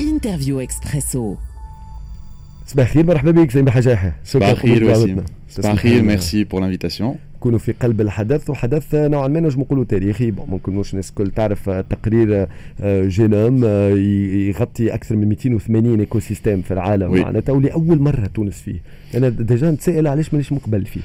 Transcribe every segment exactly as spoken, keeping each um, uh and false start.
Interview Expresso. صباح الخير، مرحبا بك سليم حجاحه. صباح الخير وسيم، صباح الخير، merci pour l'invitation. كونوا في قلب الحدث، وحدث نوعا ما نجم نقولوا تاريخي. bon، ممكن مش الناس الكل تعرف تقرير جينوم يغطي اكثر من مئتين وثمانين écosystème في العالم معناتها، ولاول مرة تونس فيه. انا déjà نتسائل علاش مانيش مقبل فيه.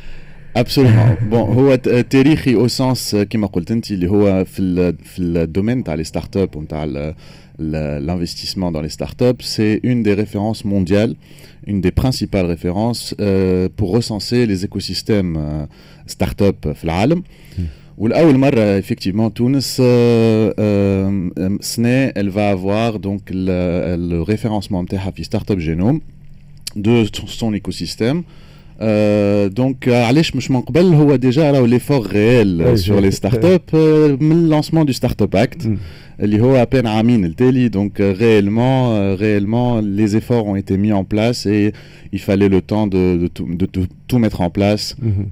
Absolument. Bon، هو تاريخي au sens كما قلت انت اللي هو في ال في ال domaine تاع les startups ونتاع l'investissement dans les startups, c'est une des références mondiales, une des principales références euh, pour recenser les écosystèmes euh, startups في العالم. والأول مرة effectivement تونس سنة elle va avoir donc le, le référencement نتاعها في Startup Genome de son écosystème. Euh, donc علاش مش من قبل؟ هو déjà راهو l'effort réel sur les startups من lancement du Startup Act اللي هو à peine عامين التالي. donc réellement réellement les efforts ont été mis en place et il fallait le temps de, de, tout, de, de tout mettre en place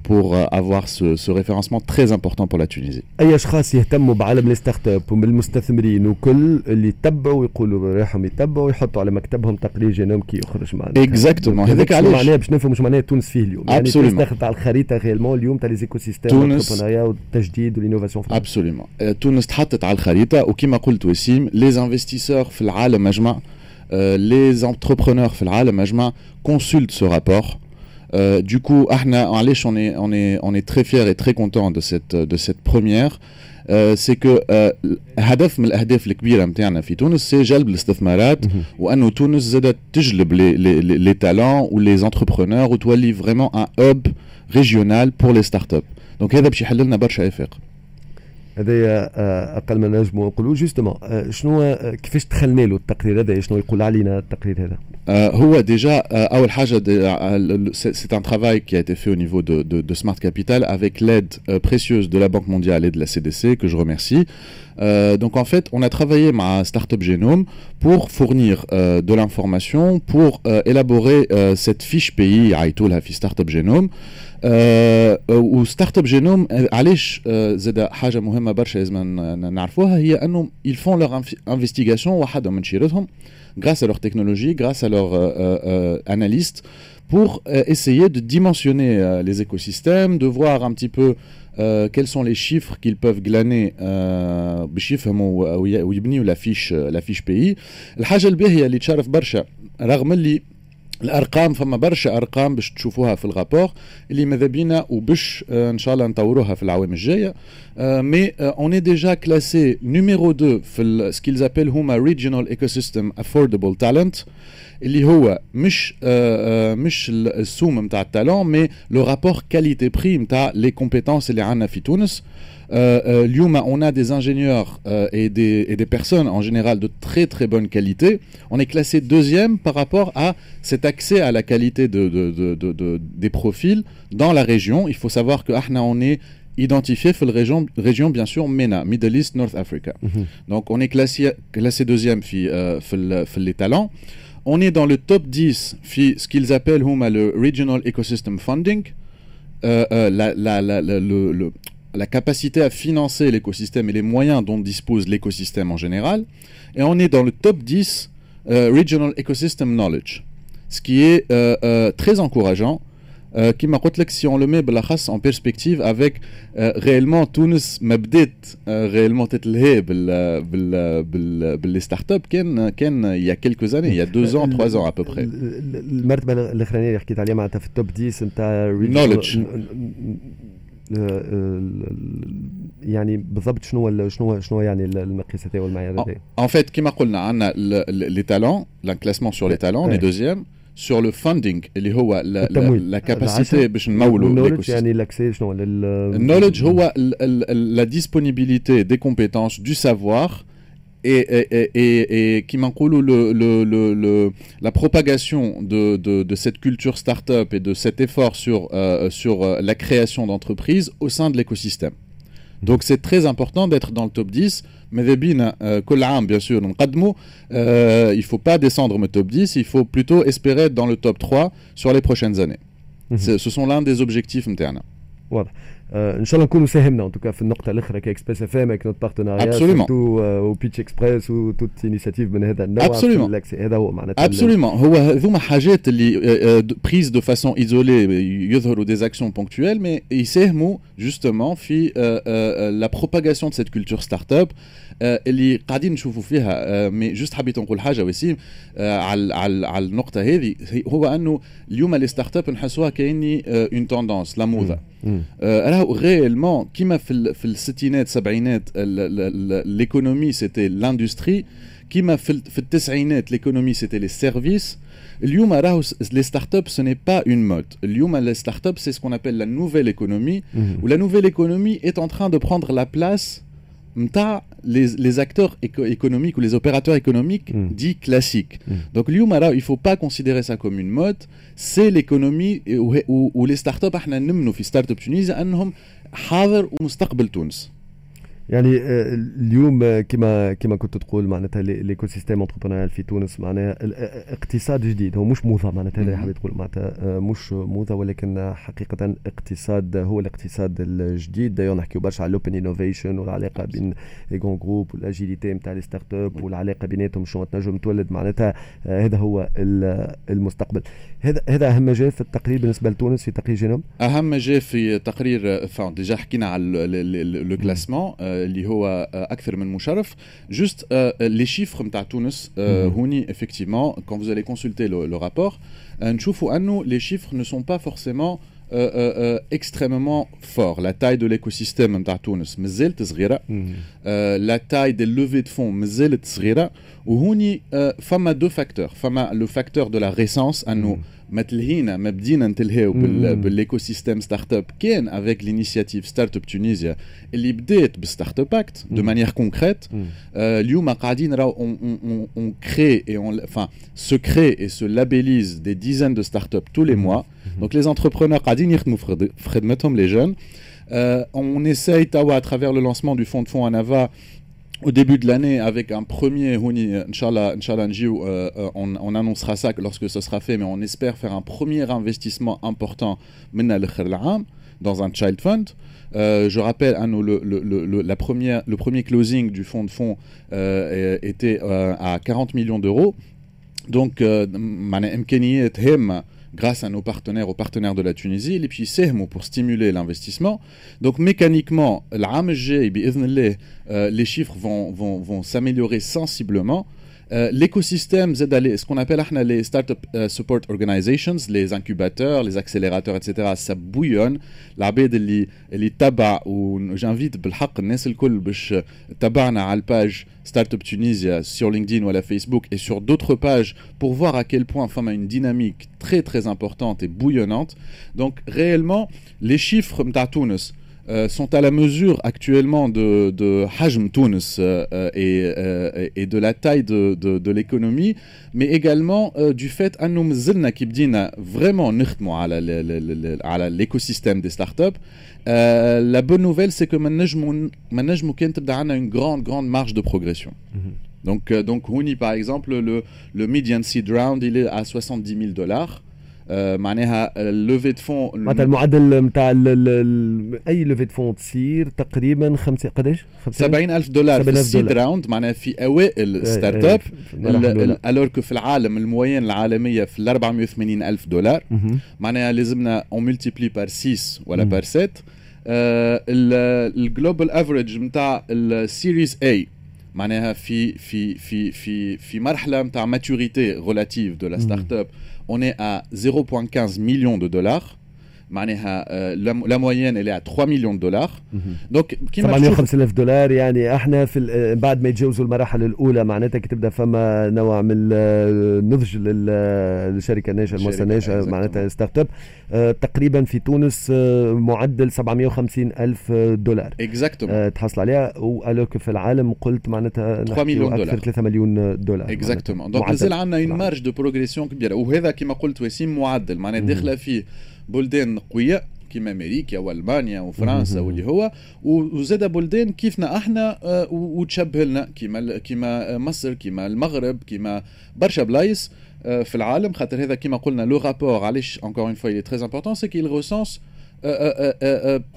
pour avoir ce, ce référencement très important pour la Tunisie. اي اشخاص يهتموا بعالم ال startup وبالمستثمرين وكل اللي يتبعوا يقولوا رايحهم يتبعوا يحطوا على مكتبهم تقرير جينوم كي يخرج معنا. Exactement، هذاك علاش معناها باش نفهموا معناها تونس فيه اليوم. يعني تونس دخلت على الخريطة réellement اليوم تاع les écosystèmes تونس والتجديد وال innovation. Absolument، تونس تحطت على الخريطه، وكما قلت وسيم، les investisseurs في العالم اجمع، les entrepreneurs في العالم اجمع consultent ce rapport. Euh, du coup، احنا علاش on est on est on est très fiers et très content de cette de cette première، euh, c'est que هدف من الاهداف الكبيرة نتاعنا في تونس c'est جلب الاستثمارات، وانه تونس زادت تجلب les les les talents و les entrepreneurs وتولي vraiment un hub régional pour les startups. donc هذا باش يحل لنا برشا افاق. هذا اقل ما نجموا نقولوا. justement، شنو كيفاش دخلنا له التقرير هذا؟ شنو يقول علينا التقرير هذا؟ هو déjà اول حاجة c'est un travail qui a été fait au niveau de, de, de Smart Capital avec l'aide précieuse de la Banque mondiale et de la C D C que je remercie. Euh, donc en fait, on a travaillé مع Startup Genome pour fournir euh, de l'information, pour euh, élaborer cette fiche pays عيطولها في Startup Genome. و Startup Genome علاش زاد حاجة مهمة برشا لازم نعرفوها، هي انه ils font leur investigation وحدهم من شيرتهم grâce à leur technologie, grâce à leurs euh, euh, analystes, pour euh, essayer de dimensionner les écosystèmes, de voir un petit peu quels sont les chiffres qu'ils peuvent glaner باش يفهموا ويبنيوا la fiche la fiche pays. الحاجة الباهيه اللي تشرف برشا، رغم اللي الارقام فما برشا ارقام باش تشوفوها في ال rapport اللي ماذا بينا وباش ان شاء الله نطوروها في العوام الجايه، mais on est déjà classé numéro deux في ce qu'ils appellent هما regional ecosystem affordable talent، اللي هو مش مش السوم نتاع ال talent mais le rapport qualité prix نتاع les compétences اللي عندنا في تونس. اليوم on a des ingénieurs et des, et des personnes en général de très très bonne qualité. On est classé deuxième par rapport à cet accès à la qualité de, de, de, de, des profils dans la région. Il faut savoir que احنا on est identifié في région, région bien sûr MENA, Middle East, North Africa. Mm -hmm. Donc on est classé, classé deuxième في, euh, في, في les talents. On est dans le top dix في ce qu'ils appellent هما le Regional Ecosystem Funding. Euh, euh, la, la, la, le, le, la capacité à financer l'écosystème et les moyens dont dispose l'écosystème en général. Et on est dans le top dix euh, Regional Ecosystem Knowledge, ce qui est euh, euh, très encourageant. كما قلت لك، si on le met بالاخص en perspective avec réellement تونس ما بدات réellement تتلهي بال بال بال بال les startups كان كان il y a quelques années، il y a deux ans، trois ans à peu près. المرتبة الاخرانية اللي حكيت عليها معناتها في ال top عشرة نتاع knowledge. يعني بالضبط شنو شنو شنو يعني المقياس هذا والمعيار هذا؟ En fait، كما قلنا عندنا les talents، le classement sur les talents، on est deuxième sur le funding اللي هو la capacité باش نمولوا. يعني l'accès شنو؟ ال knowledge هو la disponibilité des compétences، du savoir et, et, et, et كيما نقولوا le, le, le, le, la propagation de, de, de cette culture start-up et de cet effort sur, euh, sur la création d'entreprises au sein de l'écosystème. Donc c'est très important d'être dans le top dix. ماذا بينا كل عام bien sûr نقدموا، euh, il faut pas descendre le top dix، il faut plutôt espérer être dans le top trois sur les prochaines années. Mm -hmm. Ce sont l'un des objectifs نتاعنا. واضح. ان شاء الله نكونوا ساهمنا en tout cas في النقطة الاخرى ك Express FM avec notre partenariat surtout و Pitch Express و toute initiative من هذا النوع. absolument، هذا هو معناتها. absolument، هو هذوما حاجات اللي prises de façon isolée يظهروا des actions ponctuelles، mais يساهموا justement في la propagation de cette culture startup اللي قاعدين نشوفوا فيها. mais juste حبيت نقول حاجة وسيم على على على النقطة هذه، هو انه اليوم les startups نحسوها كاني une tendance، la موضه. راهو réellement كيما في في الستينات سبعينات l'économie c'était l'industrie، كيما في في التسعينات l'économie c'était les services، اليوم راهو les startups ce n'est pas une mode. اليوم les startups c'est ce qu'on appelle la nouvelle économie، و la nouvelle économie est en train de prendre la place نتاع les, les acteurs éco économiques ou les opérateurs économiques mm. dits classiques. Mm. Donc اليوم il faut pas considérer ça comme une mode, c'est l'économie و les startups احنا نمنوا في Startup Tunisia انهم حاضر ومستقبل تونس. يعني آه، اليوم آه، كما كما كنت تقول معناتها l'écosystème entrepreneurial في تونس معناها آه، اقتصاد جديد، هو مش موضة معناتها، هذا حبيت تقول معناتها مش موضة ولكن حقيقة اقتصاد، هو الاقتصاد الجديد. d'ailleurs نحكيو برشا على l'open innovation والعلاقة بين les grands groupes وال agilité نتاع les startups والعلاقة بيناتهم شنو تنجم تولد، معناتها هذا هو المستقبل. هذا هذا اهم ما جاء في التقرير بالنسبة لتونس في تقرير جينوم. اهم ما جاء في تقرير، déjà حكينا على le classement اللي هو اكثر من مشرف. juste les chiffres نتاع تونس هوني، effectivement quand vous allez consulter le, le rapport نشوفوا انه les chiffres ne sont pas forcément euh, euh, extrêmement forts. La taille de l'écosystème نتاع تونس مازالت صغيرة. la taille des levées de fonds مازالت صغيرة. وهوني فما deux facteurs. فما le facteur de la récence، انه ما تلهينا ما بدينا نتلهيو بال écosystème startup كان avec l'initiative Startup Tunisia اللي بدات ب Startup Act de manière concrète. اليوم قاعدين راهو on crée et on enfin se crée et se labellise des dizaines de startups tous les mois. Donc les entrepreneurs قاعدين يخدموا في خدمتهم، les jeunes. Euh, on essaye توا à travers le lancement du fonds de fonds Anava au début de l'année avec un premier هوني، إن شاء الله، إن شاء الله نجيو euh, euh, on, on annoncera ça lorsque ce sera fait، mais on espère faire un premier investissement important dans un child fund. Euh, je rappelle أنه le, le, le, la première, le premier closing du fonds de fonds euh, était euh, à quarante millions d'euros. Donc, معناها إمكانيات هامة grâce à nos partenaires, aux partenaires de la Tunisie, et puis c'est pour stimuler l'investissement. Donc mécaniquement, العام الجاي بإذن الله, les chiffres vont, vont, vont s'améliorer sensiblement. Euh, l'écosystème زادة, ce qu'on appelle احنا les startup euh, support organizations, les incubateurs, les accélérateurs, et cetera, ça bouillonne. العباد اللي اللي تبع و j'invite بالحق الناس الكل باش تبعنا على ال page Startup Tunisia sur LinkedIn ou à la Facebook et sur d'autres pages pour voir à quel point فما une dynamique très très importante et bouillonnante. Donc réellement, les chiffres متاع تونس euh, sont à la mesure actuellement de, de حجم تونس euh, et, euh, et de la taille de, de, de l'économie, mais également du fait أنه مازلنا كي بدينا vraiment نخدموا على على l'écosystème des startups. La bonne nouvelle, c'est que ما نجموا كان تبدا عندنا une grande grande marge de progression. Mm -hmm. Donc, donc هوني par exemple, le, le median seed round, il est à soixante-dix mille dollars. آه، معناها levée de fonds. معناتها المعدل نتاع اي levée de fonds تصير تقريبا خمسة قداش؟ سبعين ألف دولار في ال seed round، معناها في اوائل startup، alors que في العالم ال moyenne العالمية في ال أربعمية وثمانين الف دولار، معناها لازمنا on multiplie par six ولا par sept. ال global average نتاع ال series A، معناها في في في في في مرحلة نتاع maturité relative de la startup، on est à zéro virgule quinze millions de dollars، معناها la moyenne elle est à trois millions de dollars. donc كيما سبعمية وخمسين الف دولار، يعني احنا في بعد ما يتجاوزوا المراحل الاولى معناتها كي تبدا فما نوع من النضج للشركة الناشئه، المؤسسة الناشئه، معناتها startup، تقريبا في تونس معدل سبعمية وخمسين الف دولار exactement تحصل عليها، و alors في العالم قلت معناتها ثلاثة مليون دولار. اكثر ثلاثة مليون دولار. exactement، donc مازال عندنا une marge de progression كبيره، وهذا كما قلت وسيم معدل، معناها داخله فيه بلدان قوية كيما امريكا والمانيا وفرنسا واللي هو، وزاد بلدان كيفنا احنا آه، وتشبه لنا كيما كيما مصر، كيما المغرب، كيما برشا بلايص آه، في العالم. خاطر هذا كيما قلنا le rapport علاش encore une fois il est très important، c'est qu'il recense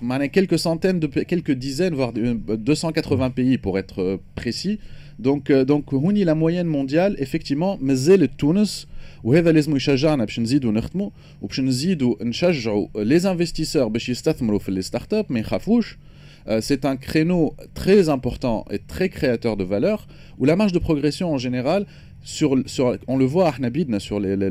معناها quelques centaines de quelques dizaines, voire deux cent quatre-vingts pays pour être précis. Donc donc هوني la moyenne mondiale, effectivement, مازالت تونس، وهذا لازم يشجعنا باش نزيدوا نخدموا وباش نزيدوا نشجعوا les investisseurs باش يستثمروا في les startups، ما يخافوش. C'est un créneau très important et très créateur de valeur où la marge de progression en général, sur, sur, on le voit احنا بيدنا sur les, les,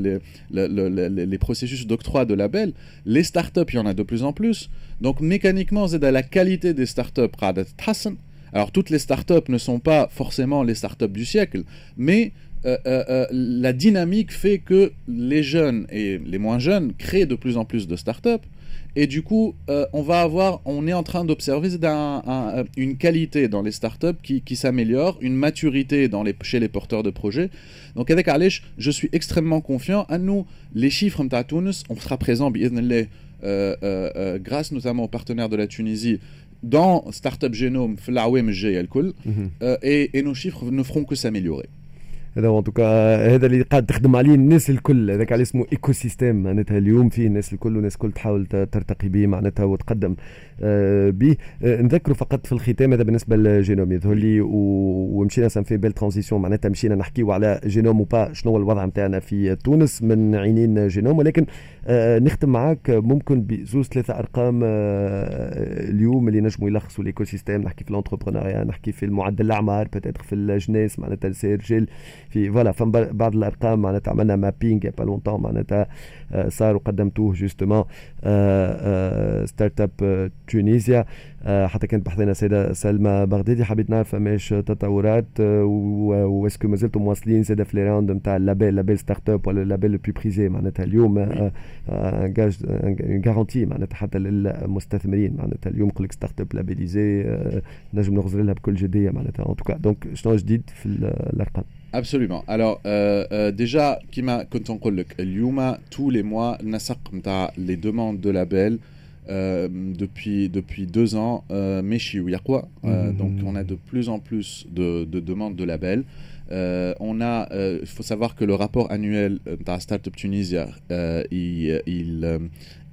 les, les, processus d'octroi de labels, les startups, il y en a de plus en plus. Donc mécaniquement, زادة la qualité des startups قاعدة تتحسن. Alors toutes les startups ne sont pas forcément les startups du siècle, mais euh, euh, euh, la dynamique fait que les jeunes et les moins jeunes créent de plus en plus de startups. Et du coup, euh, on va avoir, on est en train d'observer un, un, une qualité dans les startups qui, qui s'améliore, une maturité dans les, chez les porteurs de projets. Donc هذاك علاش, je suis extrêmement confiant. أنو les chiffres متاع تونس, on sera présent بإذن الله, euh, euh, grâce notamment aux partenaires de la Tunisie dans Startup Genome في الأعوام الجاية الكل, et, et nos chiffres ne feront que s'améliorer. هذا en tout cas هذا اللي قاعد تخدم عليه الناس الكل، هذاك عليه اسمه écosystème، معناتها اليوم فيه الناس الكل والناس الكل تحاول ترتقي به معناتها وتقدم آه، به. آه، نذكروا فقط في الختام، هذا بالنسبه للجينوم يظهر لي، ومشينا ça fait belle transition، معناتها مشينا نحكيو على Genome ou pas، شنو هو الوضع نتاعنا في تونس من عينين جينوم، ولكن آه، نختم معاك ممكن بزوز ثلاثه ارقام اليوم اللي نجموا يلخصوا l'écosystème، نحكي في l'entrepreneuriat، نحكي في المعدل الاعمار، peut-être في الجناس، معناتها نساء رجال، في voilà فما بعض الارقام، معناتها عملنا mapping il y a pas longtemps، معناتها صار وقدمتوه justement Startup Tunisia. حتى كانت بحذانا السيده سلمى بغدادي، حبيت نعرف فماش تطورات و est-ce que مازلتم مواصلين زاده في les rounds نتاع ال label label startup ولا label le plus prisé، معناتها اليوم gage, garantie معناتها حتى للمستثمرين، معناتها اليوم يقول لك startup labellisée نجم نغزر لها بكل جديه معناتها en tout cas. Donc شنو جديد في الارقام؟ Absolument. Alors, euh, euh, déjà, كيما كنت نقول لك اليوم tous les mois النسق نتاع les demandes de label euh, depuis, depuis deux ans, euh, ماشي ويقوى. Euh, donc, on a de plus en plus de, de demandes de labels. Euh, on a, il faut savoir que le rapport annuel de Startup Tunisia, il, il,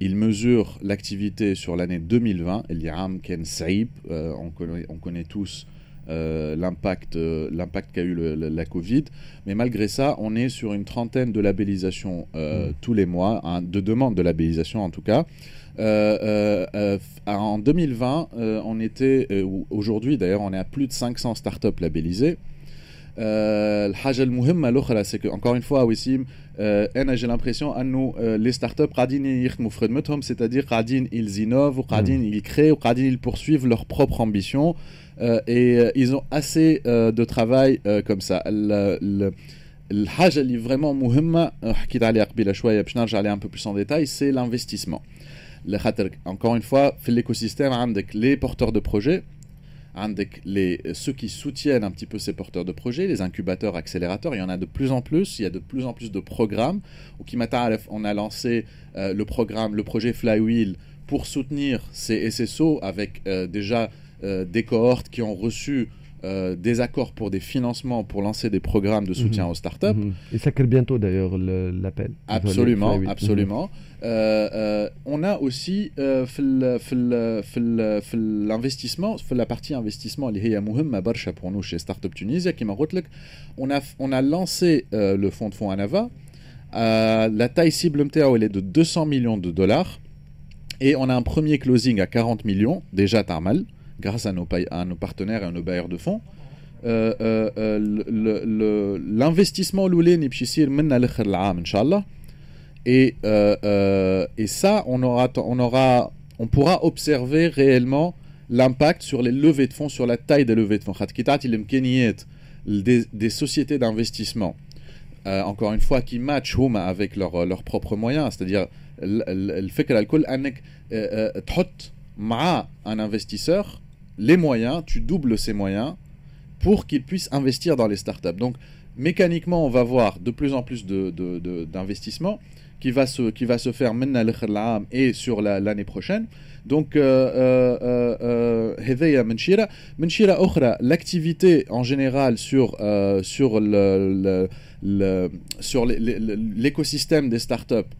il mesure l'activité sur l'année deux mille vingt. اللي عام كان صعيب, on connaît, on connaît tous euh, l'impact euh, l'impact qu'a eu le, le, la Covid. Mais malgré ça, on est sur une trentaine de labellisations euh, mmh. tous les mois, hein, de demandes de labellisation en tout cas. En deux mille vingt, on était, aujourd'hui d'ailleurs, on est à plus de cinq cents startups labellisées. الحاجه المهمه الاخرى, c'est que encore une fois, وسيم، انا j'ai l'impression انه les startups قاعدين يخدموا في خدمتهم, c'est-à-dire قاعدين ils innovent وقاعدين ils créent وقاعدين ils poursuivent leur propre ambition et ils ont assez de travail comme ça. الحاجه اللي vraiment مهمه حكيت عليها قبيله شويه، باش نرجع عليها un peu plus en détail, c'est l'investissement. خاطر encore une fois, في l'écosystème عندك les porteurs de projets, عندك les, ceux qui soutiennent un petit peu ces porteurs de projets, les incubateurs, accélérateurs, il y en a de plus en plus, il y a de plus en plus de programmes. وكيما تعرف, on a lancé euh, le programme, le projet Flywheel pour soutenir ces S S O avec euh, déjà euh, des cohortes qui ont reçu euh, des accords pour des financements pour lancer des programmes de soutien mmh. aux startups. Mmh. Et ça crée bientôt d'ailleurs l'appel. Absolument, absolument. Euh, euh, on a aussi l'investissement, la partie investissement اللي هي مهمة برشا pour nous chez Startup Tunisia. كيما قلت لك, on a on a lancé le fonds de fonds Anava. La taille cible نتاعو elle est de deux cents millions de dollars et on a un premier closing à quarante millions déjà تعمل grâce à nos, à nos partenaires et à nos bailleurs de fonds. L'investissement الاولاني باش يصير منا لاخر العام ان شاء الله, et et ça, on aura on aura on pourra observer réellement l'impact sur les levées de fonds, sur la taille des levées de fonds، خاطر كي تعطي الامكانيات des, des sociétés d'investissement, euh, encore une fois, qui matchent هما avec leurs leurs propres moyens, c'est-à-dire الفكره الكل انك تحط مع un investisseur les moyens, tu doubles ses moyens pour qu'il puisse investir dans les startups. Donc, mécaniquement, on va voir de plus en plus d'investissements de, de, qui va se, qui va se faire et sur l'année prochaine. Donc, هذايا من شيرة من شيرة أخرى, l'activité en général sur, euh, sur le, le, le sur l'écosystème des startups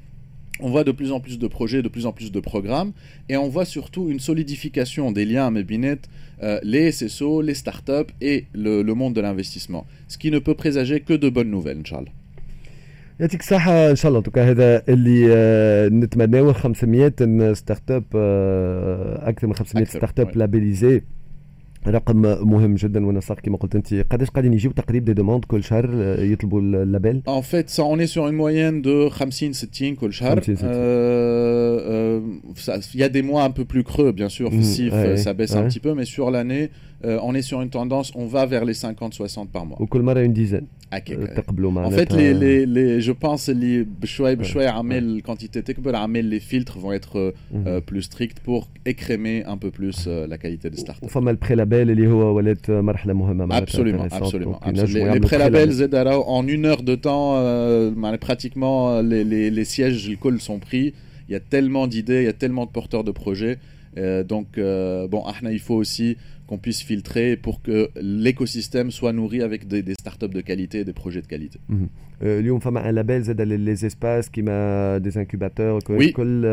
On voit de plus en plus de projets, de plus en plus de programmes, et on voit surtout une solidification des liens ما بينات euh, les S S O, les startups et le, le monde de l'investissement. Ce qui ne peut présager que de bonnes nouvelles, إن شاء الله. يعطيك الصحة، ان شاء الله. en tout cas هذا اللي آه، نتمناه. خمسمية startup، اكثر من خمسمية startup labellisées، رقم مهم جدا. ونسق كما قلت انت، قداش قاعدين يجيو تقريبا des demandes كل شهر آه، يطلبوا ال label؟ En fait, ça, on est sur une moyenne de خمسين ستين كل شهر. Euh, euh, il y a des mois un peu plus creux, bien sûr. في الصيف, ouais, ça baisse ouais. un petit peu, mais sur l'année, euh, on est sur une tendance, on va vers les cinquante soixante par mois. وكل مرة une dizaine. تقبلوا. En fait, les, les, les, je pense اللي بشوي بشوي عمال quantité تكبر، عمال les filtres vont être euh, plus stricts pour écrémer un peu plus euh, la qualité des startups. وفما ال pré-label اللي هو ولات مرحلة مهمة. Absolument, absolument. absolument. Les, les pré-labels زاد en une heure de temps, euh, pratiquement les, les, les sièges الكل sont pris. Il y a tellement d'idées, il y a tellement de porteurs de projets. Euh, donc, euh, bon, احنا, il faut aussi qu'on puisse filtrer pour que l'écosystème soit nourri avec des, des startups de qualité et des projets de qualité. اليوم فما un label زاد les espaces كيما des incubateurs كل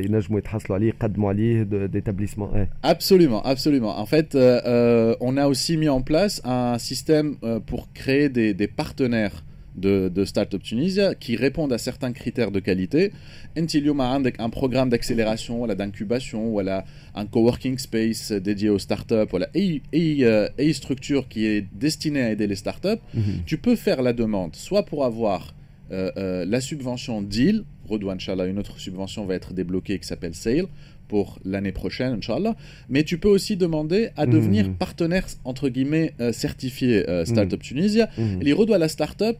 ينجموا يتحصلوا عليه، يقدموا عليه d'établissements. Absolument, absolument. En fait, euh, on a aussi mis en place un système pour créer des, des partenaires de, de Startup Tunisia qui répondent à certains critères de qualité. انت اليوم عندك un programme d'accélération ولا d'incubation ولا un coworking space dédié aux startups ولا اي اي اي structure qui est destinée à aider les startups, mm -hmm. tu peux faire la demande soit pour avoir euh, euh, la subvention Deal, غدوة إن شاء الله, une autre subvention va être débloquée qui s'appelle Sail pour l'année prochaine, إن شاء الله. Mais tu peux aussi demander à devenir mmh. partenaire, entre guillemets, euh, certifié euh, Startup mmh. Tunisia. Mmh. اللي غدوة la startup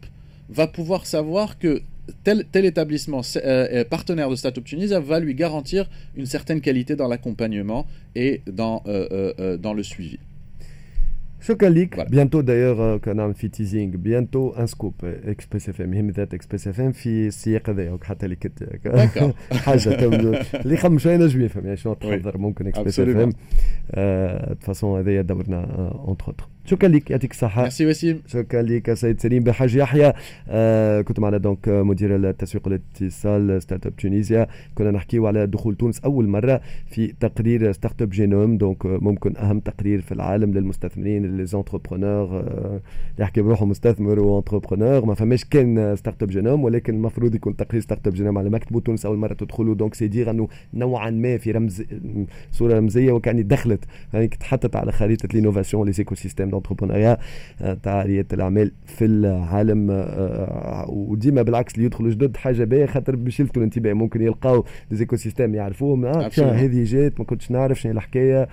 va pouvoir savoir que tel, tel établissement euh, partenaire de Startup Tunisia va lui garantir une certaine qualité dans l'accompagnement et dans, euh, euh, dans le suivi. شكرا ليك. Bientôt d'ailleurs كان نعمل في teasing، bientôt un scoop Express F M، يهم ذات Express F M في السياق هذا، حتى اللي كنت حاجه اللي يخمم شويه نجم يفهم يعني شنو تحضر ممكن Express F M. De toute façon هذايا دورنا entre autres. شكرا لك، يعطيك الصحة. ميرسي وسيم. شكرا لك سيد سليم بحاج يحيى، آه كنت معنا donc مدير التسويق والاتصال Startup Tunisia. كنا نحكيو على دخول تونس أول مرة في تقرير Startup Genome، donc ممكن أهم تقرير في العالم للمستثمرين، les entrepreneurs، اللي يحكي بروحه مستثمر و entrepreneur. ما فماش كان Startup Genome، ولكن المفروض يكون تقرير Startup Genome على مكتبه. تونس أول مرة تدخلوا، donc c'est dire أنه نوعا ما في رمز صورة رمزية وكأني دخلت، يعني تحطت على خريطة l'innovation، les écosystèmes d'entrepreneuriat تاع رياده الاعمال في العالم. آه، وديما بالعكس اللي يدخلوا جدد حاجه باهيه، خاطر باش يلفتوا الانتباه، ممكن يلقاو des écosystèmes يعرفوهم، اه هذه جات ما كنتش نعرف شنو الحكايه.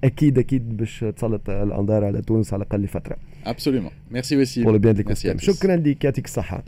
اكيد اكيد باش تسلط الانظار على تونس على الاقل لفتره. Absolument. Merci aussi. Pour le bien de l'écosystème. شكرا لك، يعطيك الصحه.